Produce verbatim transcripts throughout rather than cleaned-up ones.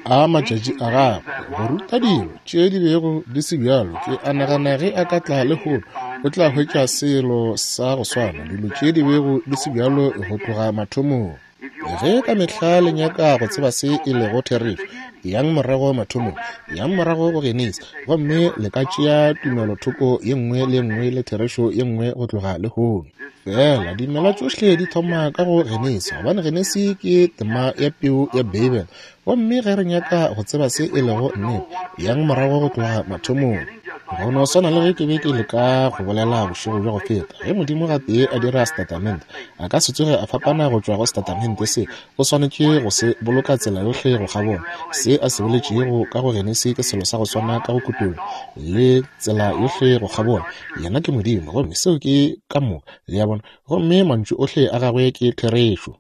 A matšatši a gagwe, go ruta dilo tše di bego di se bjalo. Ke a nagana ge a ka tla lehono, o tla hwetša selo sa go swana, dilo tše di bego di se bjalo go tloga mathomong. Ge ka mehla le nyaka go tseba se e lego therešo, yang morago mathomong, yang morago go Genesi, gomme le ka tšea tumelothoko ye nngwe le ye nngwe le therešo ye nngwe go tloga lehono. Fela dimela tšohle di thoma ka go Genesi, gobane Genesi ke tema ya peu ya Beibele. Gomme ge re nyaka go tseba se e lego nnete, yang morago go tloga mathomong. Go no swana le ge ke be ke leka go bolela bošego bja go feta, ge Modimo gatee a dira setatamente, a ka se tsoge a fapana go tšwa go setatamente se. O swanetše go se boloka tsela yohle go kgabola. Se a se boletšego ka go Genesi ke selo sa go swana ka go Kutollo, le tsela yohle go kgabola. Yena ke Modimo, gomme seo ke ka moka, le a bona, gomme mantšu ohle a gagwe ke therešo.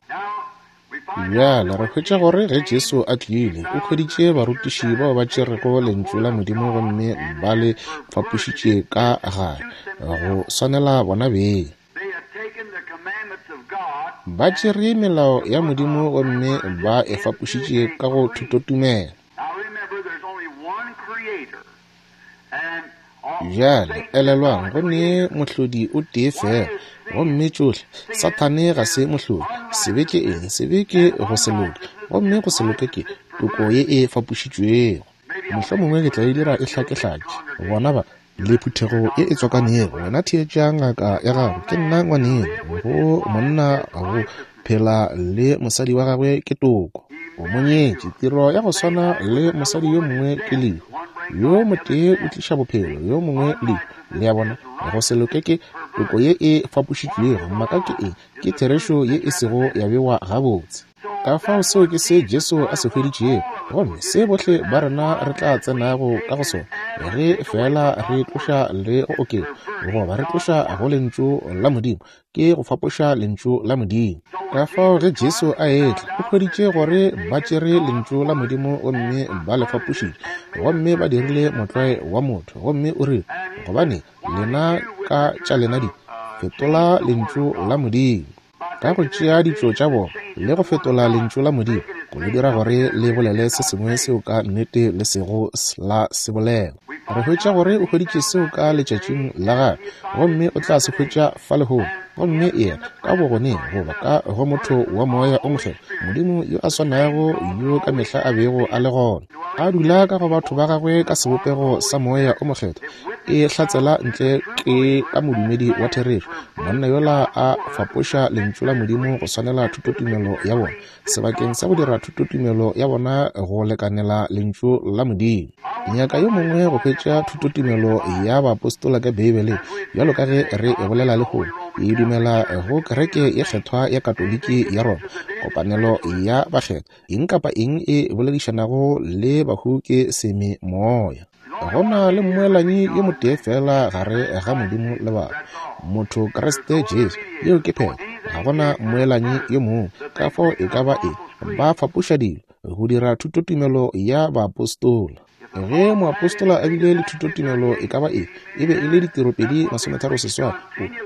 Bjale re hwetša gore ge Jesu a tlile, o hweditše barutiši bao ba tšerego lentšu la Modimo gomme ba le fapošitše ka gare go swanela bona beng. Ba tšere melao ya Modimo gomme ba e fapošitše ka go thutotumelo. Bjale elelwang, go ne mohlodi o tee fela, gomme tšohle. Sathane ga se mohlodi. Sebe ke eng? Sebe ke go se loke, gomme go se loke ke toko ye e fapošitšwego. Mohlomongwe ke tla e dira e hlakehlake. Bona ba le phuthego ye e tswakanego. Wena theetša ngaka ya gago, ke nna ngwaneno. Go monna go phela le mosadi wa gagwe ke toko. O mo nyetše, tiro ya go swana le mosadi yo mongwe ke lehu. Yo motee o tliša bophelo, yo mongwe lehu. Le a bona, go se loke ke toko ye e fapošitšwego. Maka ke eng? Ke therešo ye e sego ya bewa gabotse. Ka fao seo ke se Jesu a se hweditšego, gomme se bohle ba rena re tla tsenago ka go sona, ge fela re tloša le go oketša, goba re tloša go lentšu la Modimo, ke go fapoša lentšu la Modimo. Ka fao ge Jesu a etla, o hweditše gore ba tšere lentšu la Modimo gomme ba le fapošitše, gomme ba dirile motlwae wa motho, gomme o rile, gobane lena ka tša lena di fetola lentšu la Modimo. Ka go tšea ditšo tša bona le go fetola lentšu la Modimo, go le dira gore le bolele se sengwe seo ka nnete le sego la se bolela. Re hwetša gore o hweditše seo ka letšatšing la gagwe, gomme o tla se hwetša fa lehono. Gomme yena ka bogoneng goba ka go motho wa moya o mokgethwa, Modimo yo a swanago yo ka mehla a bego a le gona, a dula ka go batho ba gagwe ka sebopego sa moya o mokgethwa, e hlatsela ntle ke ka modumedi wa therešo. Monna yola a fapoša lentšu la Modimo go swanela thutotumelo ya bona, sebakeng sa go dira thutotumelo ya bona go lekanela lentšu la Modimo. Nyaka yo mongwe go hwetša thutotumelo ya baapostola ka Beibeleng, bjalo ka ge re e bolela lehono. E dumela go kereke ye kgethwa ya Katoliki ya Roma, kopanelo ya bakgethwa, eng kapa eng e boledišanago le bahu ke sememoya. Go na le mmoelanyi yo motee fela gare ga Modimo le batho, motho Kriste Jesu. Yeo ke phetho. Ga gona mmoelanyi yo mongwe. Ka fao e ka ba eng, ba fapoša dilo go dira thutotumelo ya baapostola. Ge moapostola a bile le thutotumelo e ka ba eng, e be e le ditiro pedi masometharo seswai.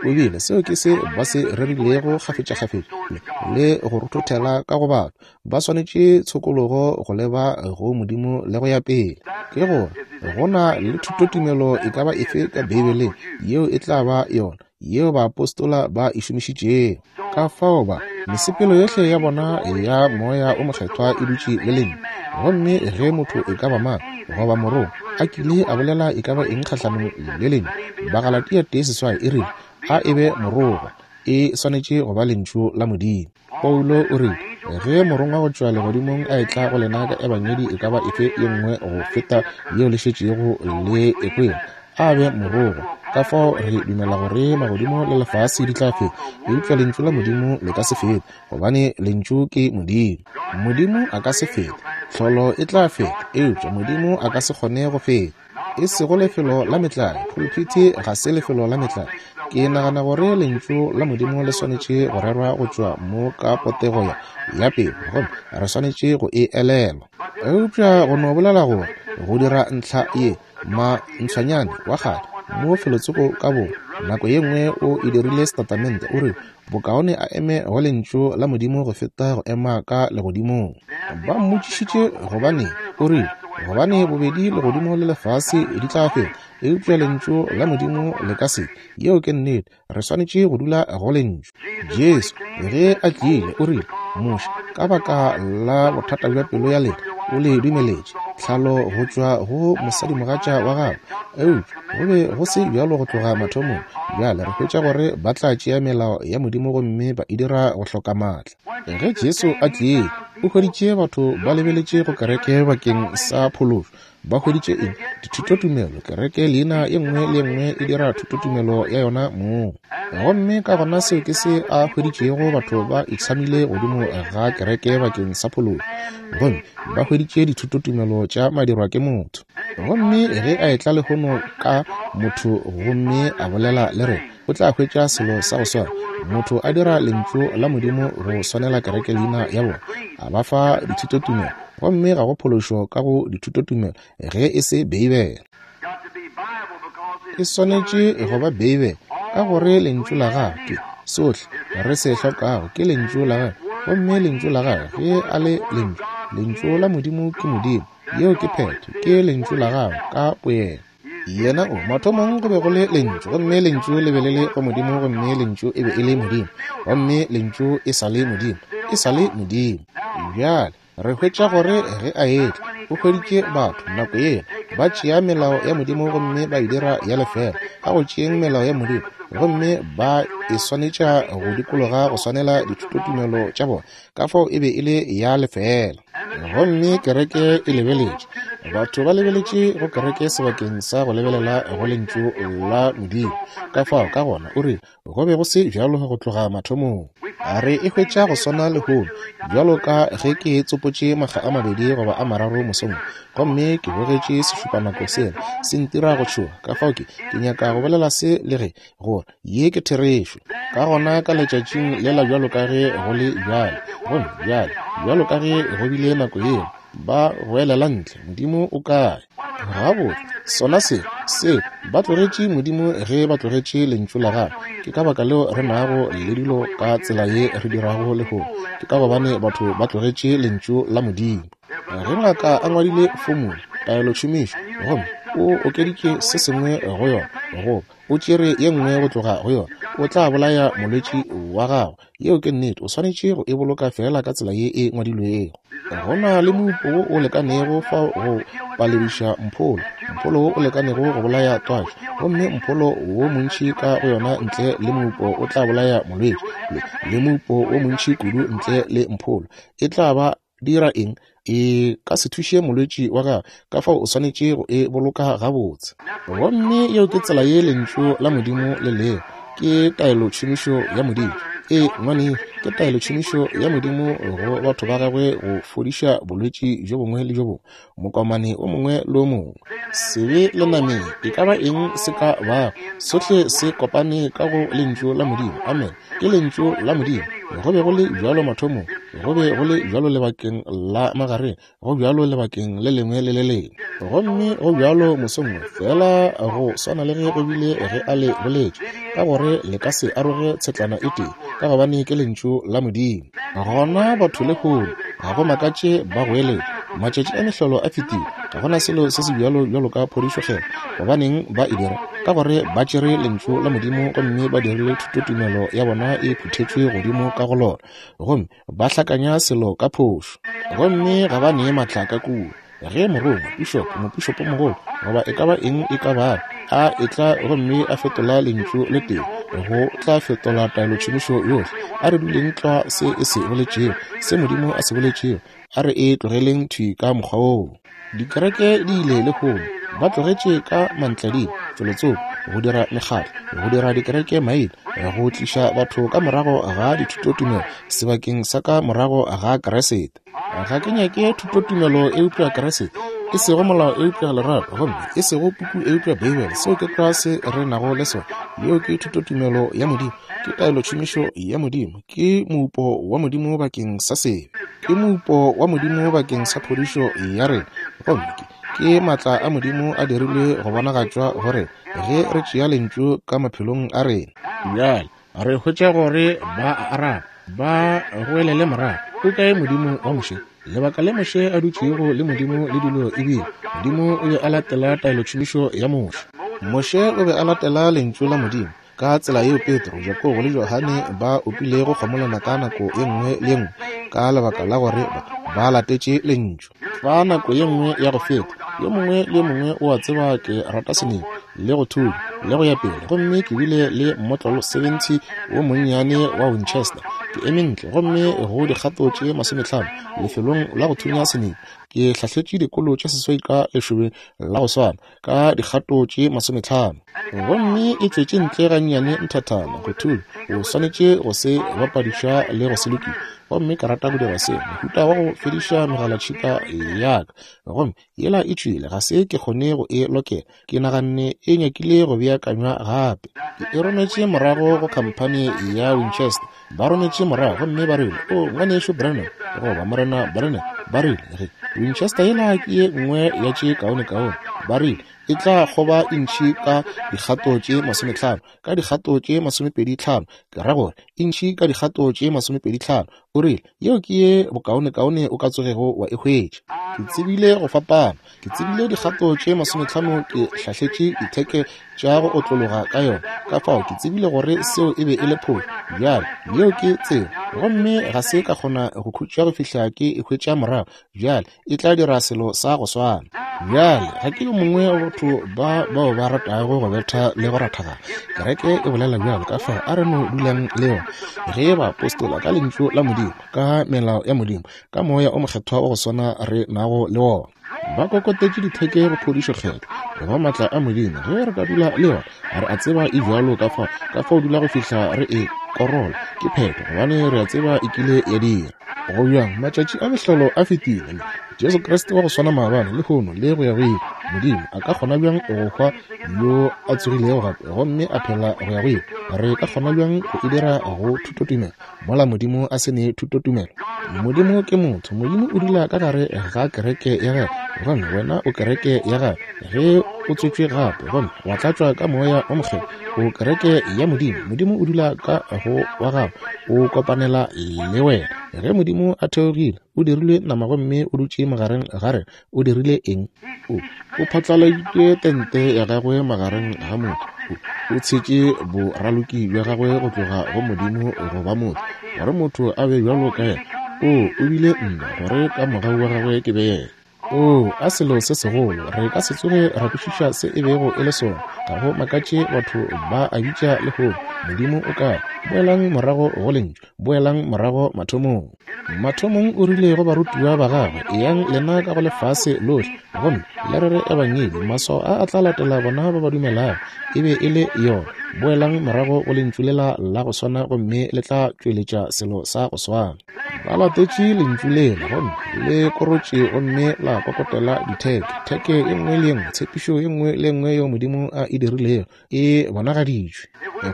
O bile seo ke se ba se rerilego kgafetšakgafetša le go rothothela ka go batho. Ba swanetše tshokologo go leba go Modimo le go ya pele. Ke gore go na le thutotumelo e ka ba efe ka Beibeleng yeo e tla ba yona yeo baapostola ba e šomišitšego. Ka fao ba mesepelo yohle ya bona ya moya o mokgethwa e dutše le lentšu. Gomme ge motho e ka ba mang goba morongwa a kile a bolela e ka ba eng kgahlanong le lentšu, Bagalatia tee seswai e rile, a e be morongwa, e swanetše go ba lentšu la Modimo. Paulo o rile, ge morongwa go tšwa legodimong a etla go lena ka ebangedi e ka ba efe ye nngwe go feta yeo le šetšego le e kwele, a be morongwa. Ka fao re dumela gore magodimo le lefase di tla feta, eupša lentšu la Modimo le ka se fete, gobane lentšu ke Modimo. Modimo a ka se fete, tlholo e tla feta, eupša Modimo a ka se kgone go feta. E sego lefelo la metlae, pulpiti ga se lefelo la metlae. Ke nagana gore lentšu la Modimo le swanetše go rerwa go tšwa mo ka potego ya ya pelo, gomme re swanetše go e elelwa. Eupša go no bolela gore go dira ntlha ye, mantshwanyane wa kgale mo felotsoko ka bo nako ye nngwe o e dirile setatamente, o re Bokaone a eme go Lentšu la Modimo go feta go ema ka legodimong. Ba mmotšišitše gobane o rile, gobane bobedi legodimo le lefase di tla fela, eupša Lentšu la Modimo le ka se. Yeo ke nnete. Re swanetše go dula go Lentšu. Jesu ge a tlile o rile, Moshe, ka baka la bothata bja pelo ya lena o le dumeletše tlhalo go tšwa go mosadimogatša wa gagwe, eupša go be go se bjalo go tloga mathomong. Bjale re hwetša gore ba tla tšea melao ya Modimo gomme ba e dira go hloka maatla. Ge Jesu a tlile, o hweditše batho ba lebeletše go kereke bakeng sa phološo. Ba hweditše eng? Dithutotumelo. Kereke leina ye nngwe le ye nngwe e dira thutotumelo ya yona mong. Gomme ka gona seo ke se a hweditšego, batho ba itshamile godimo ga kereke bakeng sa phološo, gomme ba hweditše dithutotumelo tša madirwa ke motho. Gomme ge a etla lehono ka motho gomme a bolela le rena, o tla hwetša selo sa go swana. Motho a dira Lentšu la Modimo go swanela kereke leina ya bona, a ba fa dithutotumelo, gomme ga go phološo ka go dithutotumelo ge e se Beibele. E swanetše go ba Beibele, ka gore Lentšu la gagwe ke sohle re se hlokago, ke Lentšu la gagwe. Gomme Lentšu la gagwe ge a le Lentšu, Lentšu la Modimo ke Modimo. Yeo ke phetho, ke Lentšu la gagwe ka boyena. Yena o mathomong go be go le Lentšu, gomme Lentšu le be le le go Modimo, gomme Lentšu e be e le Modimo, gomme Lentšu e sa le Modimo, e sa le Modimo. Bjale re hwetša gore ge a etla, o hweditše batho nako yela ba tšea melao ya Modimo gomme ba e dira ya lefela. Ka go tšeeng melao ya Modimo gomme ba e swanetša go dikologa go swanela dithutotumelo tša bona, ka fao e be e le ya lefela. Gomme kereke e lebeletše, batho ba lebeletše go kereke sebakeng sa go lebelela go Lentšu la Modimo. Ka fao ka gona o rile go be go se bjalo go tloga mathomong. A re e hwetša go swana lehono, bjalo ka ge ke tsopotše makga a mabedi goba a mararo mosong, gomme ke bogetše sešupanako sela se ntira go tšhoga. Ka fao ke ke nyaka go bolela se le ge gore ye ke therešo. Ka gona ka letšatšing lela bjalo ka ge go le bjale, gomme bjale bjalo ka ge go bile nako yeo, ba goelela ntle, Modimo o kae? Gabotse, sona se se ba tlogetše Modimo ge ba tlogetše Lentšu la gagwe. Ke ka baka leo re nago le dilo ka tsela ye re dirago lehono, ke ka gobane batho ba tlogetše Lentšu la Modimo. Ge ngaka a ngwadile fomula taelotšhomišo gomme o okeditše se sengwe go yona, goba o tšere ye nngwe go tloga go yona, o tla bolaya molwetši wa gagwe. Yeo ke nnete. O swanetše go e boloka fela ka tsela ye e ngwadilwego. Go na le moupo wo o lekanego fao go palediša mpholo, mpholo wo o lekanego go bolaya twatši, gomme mpholo wo montši ka go yona ntle le moupo o tla bolaya molwetši, le moupo wo montši kudu ntle le mpholo e tla ba dira eng? E ka se thuše molwetši wa gagwe. Ka fao o swanetše go e boloka gabotse. Gomme yeo ke tsela ye Lentšu la Modimo le lego. Ke taelotšhomišo ya Modimo. E ngwane, ke taelotšhomišo ya Modimo go batho ba gagwe go fodiša bolwetši bjo bongwe le bjo bongwe, mokomane o mongwe le o mongwe. Sebe le nameng, e ka ba eng se ka bago, sohle se kopane ka go Lentšu la Modimo. Amen. Ke Lentšu la Modimo. Go be go le bjalo mathomong, go be go le bjalo lebakeng la magareng, go bjalo lebakeng le lengwe le le lengwe, gomme go bjalo mosong wo, fela go swana le ge go bile ge a le boletše, ka gore le ka se aroge tshetlana e tee, ka gobane ke Lentšu la Modimo. Gona batho lehono ga go makatše ba goeletša, matšatši a mehlolo a fetile, ga gona selo se se bjalo bjalo ka phodišo kgethwa. Gobaneng ba e dira? Ka gore ba tšere Lentšu la Modimo gomme ba dirile thutotumelo ya bona e phuthetšwe godimo ka go lona, gomme ba hlakanya selo ka phošo, gomme ga ba nee maatla ka kua. Ge morongwa, pišopo, mopišopomogolo, goba e ka ba eng e ka bago, a etla gomme a fetola Lentšu le tee, go tla fetola taelotšhomišo yohle. A re duleng tlwa se e se boletšego, se Modimo a se boletšego, a re e tlogeleng thwi ka mokgwa woo. Dikereke di ile lehono, ba tlogetše ka mantlading felotsoko go dira mekgatlo, go dira dikereke maina, go tliša batho ka morago ga dithutotumelo sebakeng sa ka morago ga Keresete. Ga ke nyake thutotumelo eupša Keresete, e sego molao eupša lerato, gomme e sego puku eupša Beibele. Seo ke tlwa se re nago le sona. Yeo ke thutotumelo ya Modimo, ke taelotšhomišo ya Modimo, ke moupo wa Modimo bakeng sa sebe, ke moupo wa Modimo bakeng sa phodišo ya rena, gomme ke ke maatla a Modimo a dirilwe go bonagatšwa gore ge re tšea Lentšu ka maphelong a rena. Bjale Re hwetša gore ba a araba, ba goelele morago, o kae Modimo wa Moshe? Lebaka le Moshe a dutšego le Modimo le dilo ebile Modimo o be a latela taelotšhomišo ya Moshe. Moshe o be a latela lentšu la Modimo ka tsela yeo Petro, Jakobo le Johane ba opilego kgomolana ka nako ye nngwe le ye nngwe ka lebaka la gore ba, ba latetše lentšu. Fa nako ye nngwe ya go feta, yo mongwe le yo mongwe o a tseba ke rata seneng le go thunya le go ya pele, gomme ke bile le mmotlolo seventy wo monnyane wa Winchester. Ke eme ntle gomme go dikgato tše masomehlano lefelong la go thunya seneng. Ke hlahletše dikolo tše seswai ka lešobeng la go swana ka dikgato tše masomehlano, gomme e tšwetše ntle gannyane nthathana go thunya. O swanetše go se bapadiša le go se lokiša, gomme ke rata go dira se mohuta wa go fediša megalatšhika ya ka. Gomme yela e tšwile, ga se ke kgone go e lokela. Ke naganne e nyakile go beakanywa gape. Ke e rometše morago go khamphani ya Winchester. Ba rometše morago gomme ba rile, o ngwanešu Branham, goba Morena Branham, ba rile, ge Winchester yela ke ye nngwe ya tše kaonekaone, ba rile e tla kgoba intšhi ka dikgato tše masomehlano, ka dikgato tše masomepedi tlhano, ke ra gore intšhi ka dikgato tše masomepedi tlhano. O rile yeo ke ye bokaonekaone o ka tsogego wa e hwetša. Ke tsebile go fapana, ke tsebile dikgato tše masomehlano ke hlahletše ditheke tša go otlologa ka yona, ka fao ke tsebile gore seo e be e le phošo. Bjale yeo ke tsela, gomme ga se ka kgona go khutša go fihla ke e hwetša morago. Bjale e tla dira selo sa go swana. Bjale ga ke yo mongwe wa batho ba bao ba ratago go betha le go rathagana. Kereke e bolela bjalo, ka fao a re no dulang le yona. Ge baapostola ka lentšu la Modimo, ka melao ya Modimo, ka moya o mokgethwa wa go swana re nago le wona, ba kokotetše ditheke go phodišo kgetho goba maatla a Modimo. Ge re ka dula le yona, re a tseba e bjalo, ka fao ka fao dula go fihla re e korola ke phetho, gobane re a tseba e kile ya dira. Go bjang matšatši a mehlolo a fetile, Jesu Kriste wa go swana maabane, lehono le go ya go ile. Modimo a ka kgona bjang go hwa yo a tsogilego gape gomme a phela go ya go ile? Re ka kgona bjang go e dira go thutotumelo mola Modimo a se ne thutotumelo? Modimo ke motho. Modimo o dula ka gare ga kereke ya gagwe, gomme wena o kereke ya gagwe. Ge o tswetšwe gape gomme wa tlatšwa ka moya o mokgethwa, o kereke ya Modimo. Modimo o dula ka go wa gago, o kopanela le wena. Ge Modimo a theogile, o dirile nama gomme o dutše magareng ga rena. O dirile eng? O o phatlaladitše tente ya gagwe magareng ga motho. O tshetše boraloki bja gagwe go tloga go Modimo go ba motho, gore motho a be bjalo ka yena. O o bile nna, gore ka mogau wa gagwe ke be yena. O a selo se segolo, re ka se tsoge ra kwešiša se e bego e le sona. Ga go makatše batho ba a bitša lehono, Modimo o kae? Boelang morago go lentšu, boelang morago mathomong. Mathomong o rile go barutiwa ba gagwe, eyang lena ka go lefase lohle, gomme le rere ebangedi, maswao a a tla latela bona ba ba dumelago. E be e le yona. Boelang morago go lentšu lela la go swana, gomme le tla tšweletša selo sa go swana. Ba latetše lentšu lela, gomme le korotše gomme la kokotela ditheke. Theke ye nngwe le ye nngwe, tshepišo ye nngwe le ye nngwe yeo Modimo a e dirilego e bonagaditšwe.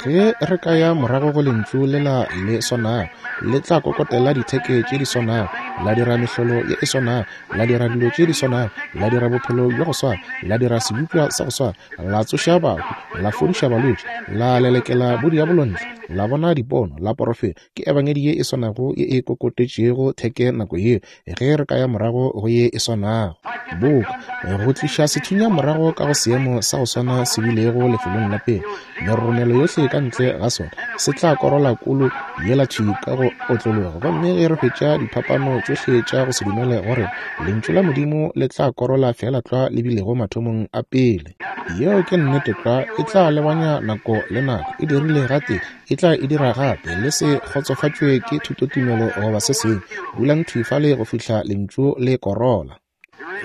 Ge re ka ya morago go lentšu lela le swanago, le tla kokotela ditheke tše di swanago, la dira mehlolo ye e swanago, la dira dilo tše di swanago, la dira bophelo bja go swana, la dira sebopša sa go swana, la tsoša bahu, la fodiša balwetši, la lelekela bodiabolo ntle, la bona dipono, la porofeta. Ke ebangedi ye e swanago ye e kokotetšego theke nako yeo. Ge re ka ya morago go ye e swanago, boka go tliša sethunya morago ka go seemo sa go swana se bilego lefelong la pele, meroromelo yohle ka ntle ga sona se tla korola kolo yela thwi ka go otlologa. Gomme ge re hwetša diphapano tšohle tša go se dumele gore lentšu la Modimo le tla korola fela tlwa le bilego mathomong a pele. Yeo ke nnete tlwa, e tla lebanya nako le nako. E dirile gate, e tla e dira gape. Le se kgotsofatšwe ke thutotumelo goba se sengwe. Dulang thwi fale go fihla lentšu le korola.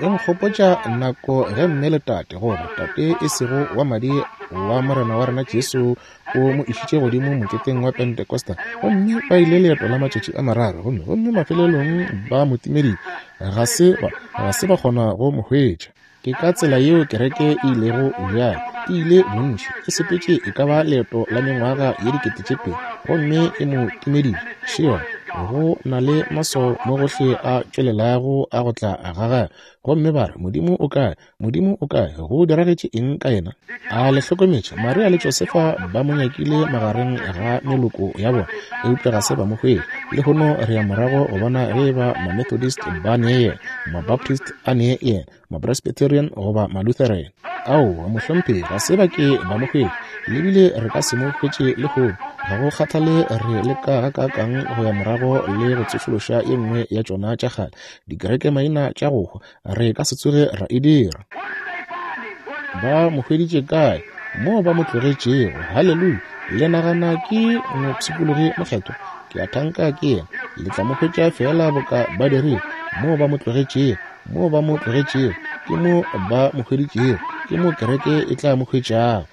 E nkgopotša nako ge mme le tate, goba tate e sego wa madi wa Morena wa rena Jesu, o mo išitše godimo moketeng wa Pentecosta, gomme ba ile leeto la matšatši a mararo, gomme gomme mafelelong ba mo timeditše, ga se ba ga se ba kgona go mo hwetša. Ke ka tsela yeo kereke e ilego bjale, e ile bontši, e sepetše e ka ba leeto la mengwaga ye dikete tše pedi, gomme e mo timeditše. Še yona, Go na le maswao mo gohle a tšwelelago a go tla ga gagwe. Gomme ba re, Modimo o kae? Modimo o kae? Go diragetše eng ka yena? A le hlokometše, Maria le Josefa ba mo nyakile magareng ga meloko ya bona, eupša ga se ba mo hwetše. Lehono re ya morago go bona ge ba ma-Methodist ba ne yena, ma-Baptist a ne yena, ma-Presbyterian goba ma-Lutheran. Aowa, mohlomphegi, ga se ba ke ba mo hwetše, le bile re ka se mo hwetše lehono. Ga go kgathale re leka gakaakang go ya morago le go tsošološa ye nngwe ya tšona tša kgale dikereke-maina tša go hwa, re ka se tsoge ra e dira. Ba mo hweditše kae? Moo ba mo tlogetšego. Haleluya! Le nagana ke mopshikologi mokgethwa? Ke a thanka ke yena. Le tla mo hwetša feela boka ba dirile. Moo ba mo tlogetšego, moo ba mo tlogetšego, ke mo ba mo hweditšego, ke mo kereke e tla mo hwetšago.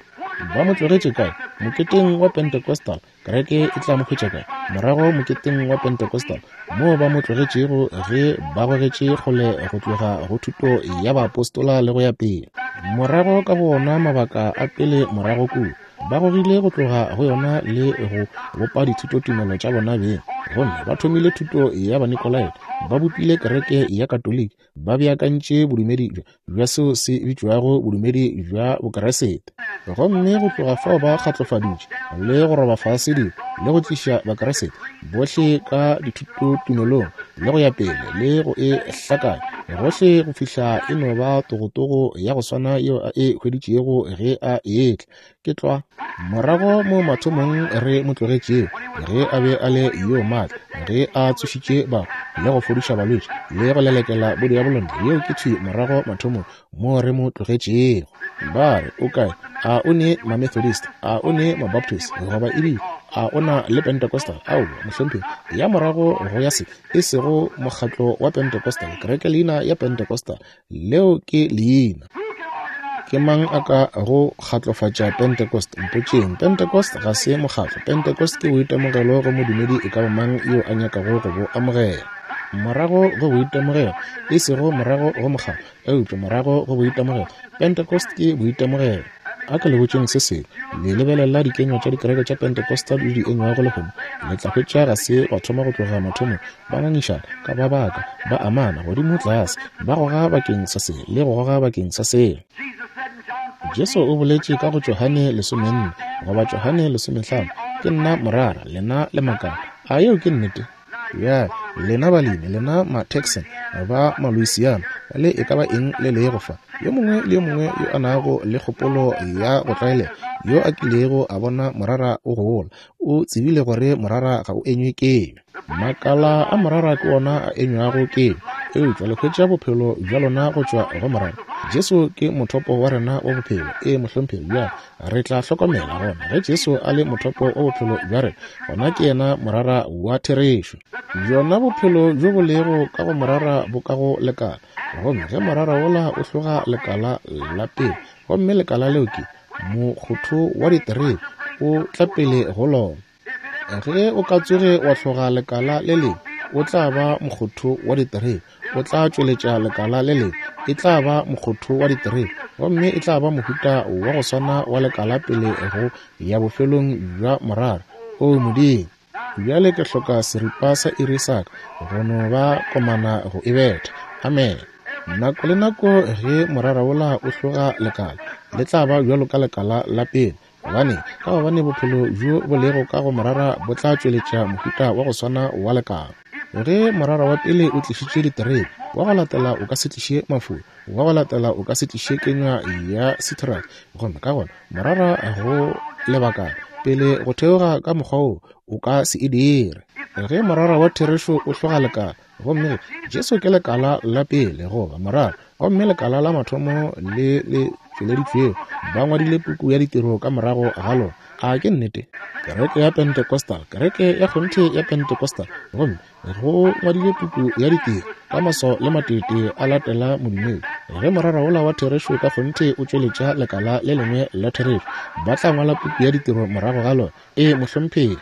Ba mo tlogetše kae? Moketeng wa Pentecostal. Kereke e tla mo hwetša kae? Morago moketeng wa Pentecostal, moo ba mo tlogetšego ge ba gogetše kgole go tloga go thuto ya baapostola le go ya pele. Morago ka go ona mabaka a pele morago kua, ba gogile go tloga go yona le go bopa dithutotumelo tša bona beng. Gomme ba thomile thuto ya Banikolaite, ba bopile kereke ya Katoliki, ba beakantše bodumedi bja bja seo se bitšwago bodumedi bja Bokeresete. Gomme go tloga fao ba kgatlofaditše le go roba fase dilo le go tliša Bakeresete bohle ka dithutotumelong le go ya pele le go e hlakanya gohle go fihla e no ba togotogo ya go swana yeo a e hweditšego ge a etla. Ke tlwa morago mo mathomong re mo tlogetšego ge a be a le yo maatla, ge a tsošitše bahu le go fodiša balwetši le go lelekela bodiabolo ntle. Yeo ke thwi morago mathomong mo re mo tlogetšego. Ba re, o kae? A o ne ma-Methodist? A o ne ma-Baptist? Goba ebile a o na le Pentecostal? Aowa, mohlomphegi, ya morago go ya se, e sego mokgatlo wa Pentecostal, kereke leina ya Pentecostal, leo ke leina. Ke mang a ka go kgatlofatša Pentecost? Mpotšeng. Pentecost ga se mokgatlo. Pentecost ke boitemogelo go modumedi e ka ba mang yo a nyakago go bo amogela. Morago go boitemogelo, e sego morago go mokgatlo, eupša morago go boitemogelo. Pentecost ke boitemogelo. A ke le botšeng se sengwe, le lebelela dikenywa tša dikereke tša Pentecostal le di enywago lehono, le tla hwetša ga se ba thoma go tloga mathomong, ba ngangišana ka ba baka, ba amana godimo tlase, ba goga bakeng sa se le go goga bakeng sa sela. Jesu o boletše ka go Johane lesomenne goba Johane lesomehlano, ke nna morara, lena le makala. A yeo ke nnete? Bjale lena balemi, lena ma-Texan ba ma-Louisiana, le e ka ba eng le lego fa, yo mongwe le yo mongwe yo a nago le kgopolo ya go tlwaelega, yo a kilego a bona morara o gola, o tsebile gore morara ga o enywe kenywa. Makala a morara ke ona a enywago kenywa, eupša le hwetša bophelo bja lona go tšwa go morara. Jesu ke mothopo wa rena wa bophelo. Ee, mohlomphegi. Bjale re tla hlokomela gona ge Jesu a le mothopo wa bophelo bja rena, gona ke yena morara wa therešo. Bjona bophelo bjo bo lego ka go morara bo ka go lekala, gomme ge morara wola o hloga lekala la pele, gomme lekala leo ke mokgotho wa diterebe, o tla pele go lona. Ge o ka tsoge wa hloga lekala le lengwe, o tla ba mokgotho wa diterebe, o tla tšweletša lekala le lengwe, e tla ba mokgotho wa diterebe, gomme e tla ba mohuta wa go swana wa lekala pele go ya bofelong bja morara. O Modimo, bjale ke hloka seripa sa iri sa ka go no ba komana go e betha. Amen. Nako le nako ge morara wola o hloga lekala, le tla ba bjalo ka lekala la pele. Gobane ka gobane bophelo bjo bo lego ka go morara bo tla tšweletša mohuta wa go swana wa lekala. Ge morara wa pele o tlišitše diterebe, wa go latela o ka se tliše mafula, wa go latela o ka se tliše kenywa ya citrus. Gomme ka gona morara go lebakana pele go theoga ka mokgwa wo o ka se e dire. Ge morara wa therešo o hloga lekala, gomme Jesu ke lekala la pele goba morara, gomme lekala la mathomo le le tšweleditšwego, ba ngwadile puku ya ditiro ka morago ga lona. A ke nnete? Kereke ya Pentecostal, kereke ya kgonthe ya Pentecostal, gomme go ngwadile puku ya ditiro ka maswao le matete a latela modumedi. Ge morara wola wa therešo ka kgonthe o tšweletša lekala le lengwe la therešo, ba tla ngwala puku ya ditiro morago ga lona. Ee, mohlomphegi.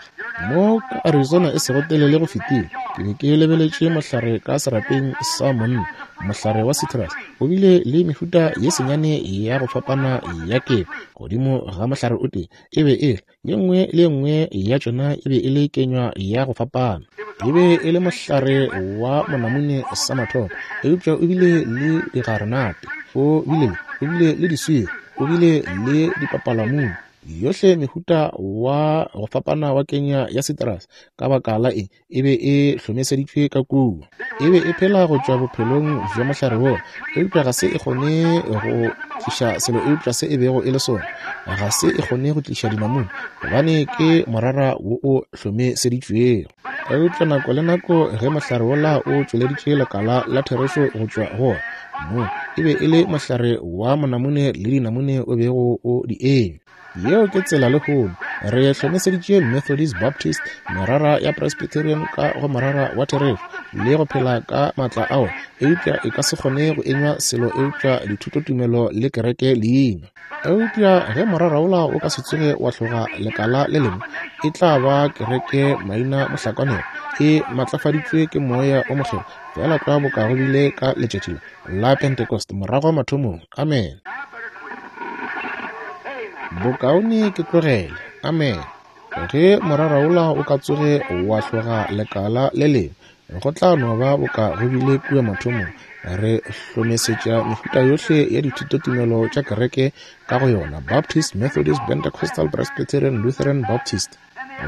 Mo ka Arizona e sego telele go fetile, Ke be ke lebeletše mohlare ka serapeng sa monna, mohlare wa citrus. O bile le mehuta ye senyane ya go fapana ya kefa godimo ga mohlare o tee. E be e le ye nngwe le ye nngwe ya tšona e be e le kenywa ya go fapana. E be e le mohlare wa monamune sa mathomo, eupša o bile le digarenate, o bile o bile le diswiri, o bile le dipapalamune, yohle mehuta wa go fapana wa kenya ya citrus. Ka baka la eng? E be e hlomeseditšwe ka kua. E be e phela go tšwa bophelong bja mohlare woo, eupša ga se e kgone go tliša selo eupša se e bego e le sona. Ga se e kgone go tliša dinamune, gobane ke morara wo o hlomeseditšwego. Eupša nako le nako ge mohlare wola o tšweleditše lekala la therešo go tšwa go wona, mo e be e le mohlare wa monamune le dinamune o bego o di enywa. Yeo ke tsela lehono. Re hlomeseditše Methodist, Baptist, merara ya Presbyterian ka go morara wa therešo le go phela ka maatla ao, eupša e ka se kgone go enywa selo eupša dithutotumelo le kereke leina. Eupša ge morara wola o ka se tsoge wa hloga lekala le lengwe, e tla ba kereke maina mohlakanelo e matlafaditšwe ke moya o mokgethwa, feela tlwa boka go bile ka letšatši la Pentecost morago mathomong. Amen. Bokaone ke tlogele. Amen. Ge morara wola o ka tsoge wa hloga lekala le lengwe, go tla no ba boka go bile kua mathomong. Re hlomesetša mehuta yohle ya dithutotumelo tša kereke ka go yona, Baptist, Methodist, Pentecostal, Presbyterian, Lutheran, Baptist.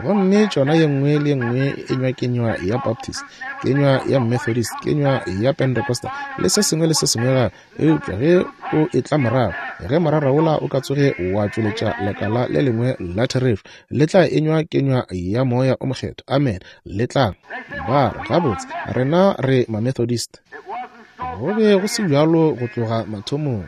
Gomme tšona ye nngwe le ye nngwe e enywa kenywa ya Baptist, kenywa ya Methodist, kenywa ya Pentecostal, le se sengwe le se sengwe gape. Eupša ge o etla morago, ge morara wola o ka tsoge wa tšweletša lekala le lengwe la therešo, le tla enywa kenywa ya moya o mokgethwa. Amen. Le tla ba re, gabotse, rena re ma-Methodist. Go be go se bjalo go tloga mathomong.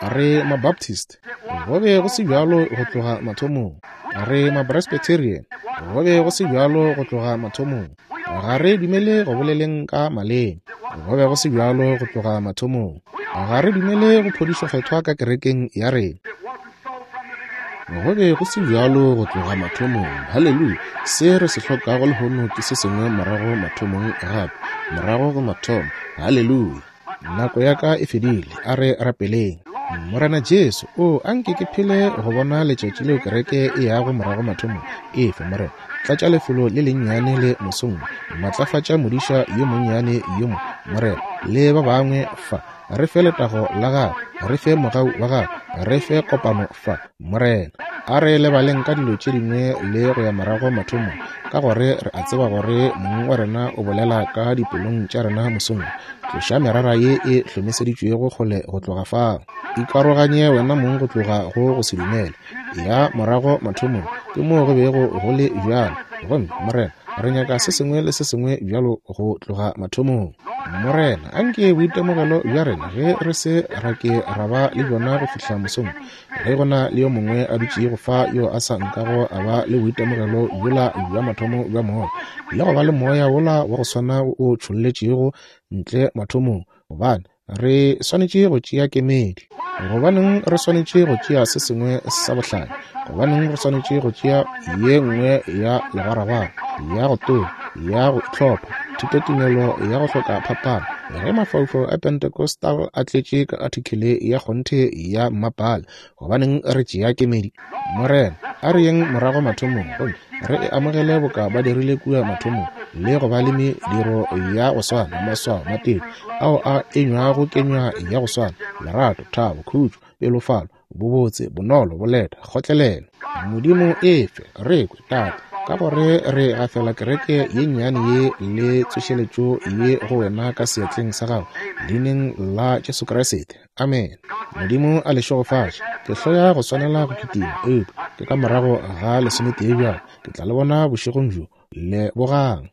Re ma-Baptist. Go be go se bjalo go tloga mathomong. Re ma-Presbyterian. Go be go se bjalo go tloga mathomong. Ga re dumele go boleleng ka maleme. Go be go se bjalo go tloga mathomong. Ga re dumele go phodišo kgethwa ka kerekeng ya rena. Go be go se bjalo go tloga mathomong. Haleluya. Se re se hlokago lehono ke se sengwe morago mathomong gape, morago go mathomo. Haleluya. Nako ya ka e fedile. A re rapeleng. Morena Jesu, o anke ke phele go bona letšatši leo kereke e yago morago mathomong. Efe, Morena, tlatša lefelo le lennyane le mosong, matlafatša modiša yo monnyane yo mo, Morena, le ba bangwe fa. Re fe letago la gago, re fe mogau wa gago, re fe kopano fa, Morena. A re lebaleng ka dilo tše dingwe le go ya morago mathomong, ka gore re a tseba gore mong wa rena o bolela ka dipelong tša rena mosong. Tloša merara ye e hlomeseditšwego kgole go tloga fao. Ikaroganye wena mong go tloga go go se dumele. Ya morago mathomong ke moo go bego go le bjalo. Gomme Morena, re nyaka se sengwe le se sengwe bjalo go tloga mathomong. Morena, anke boitemogelo bja rena ge re se ra ke ra ba le bjona go fihla mosong, ge go na le yo mongwe a dutšego fa yo a sa nkago a ba le boitemogelo bjola bja mathomo bja moya, le go ba le moya wola wa go swana o tšholletšego ntle mathomong, gobane re swanetše go tšea kemedi. Gobaneng re swanetše go tšea se sengwe sa bohlale? Gobaneng re swanetše go tšea ye nngwe ya legwaragwara, ya go tonya, ya go itlhopha, thutotumelo ya go hloka phapano, ge mafaufau a Pentecostal a tletše ka artikele ya kgonthe ya mmapale? Gobaneng re tšea kemedi? Morena, a re yeng morago mathomong, gomme re e amogele boka ba dirile kua mathomong, le go ba le mediro ya go swana, maswao, matete ao a enywago kenywa ya go swana, lerato, thabo, khutšo, pelofalo, bobotse, bonolo, boleta, kgotlelelo. Modimo efe re kwe, Tate, ka gore re gafela kereke ye nnyane ye le tsošeletšo ye go wena ka seatleng sa gago, leineng la Jesu Kriste. Amen. Modimo a le šegofatše. Ke hloya go swanela go kitima, eupša ke ka morago ga lesometee bjalo. Ke tla le bona bošegong bjo. Lebogang.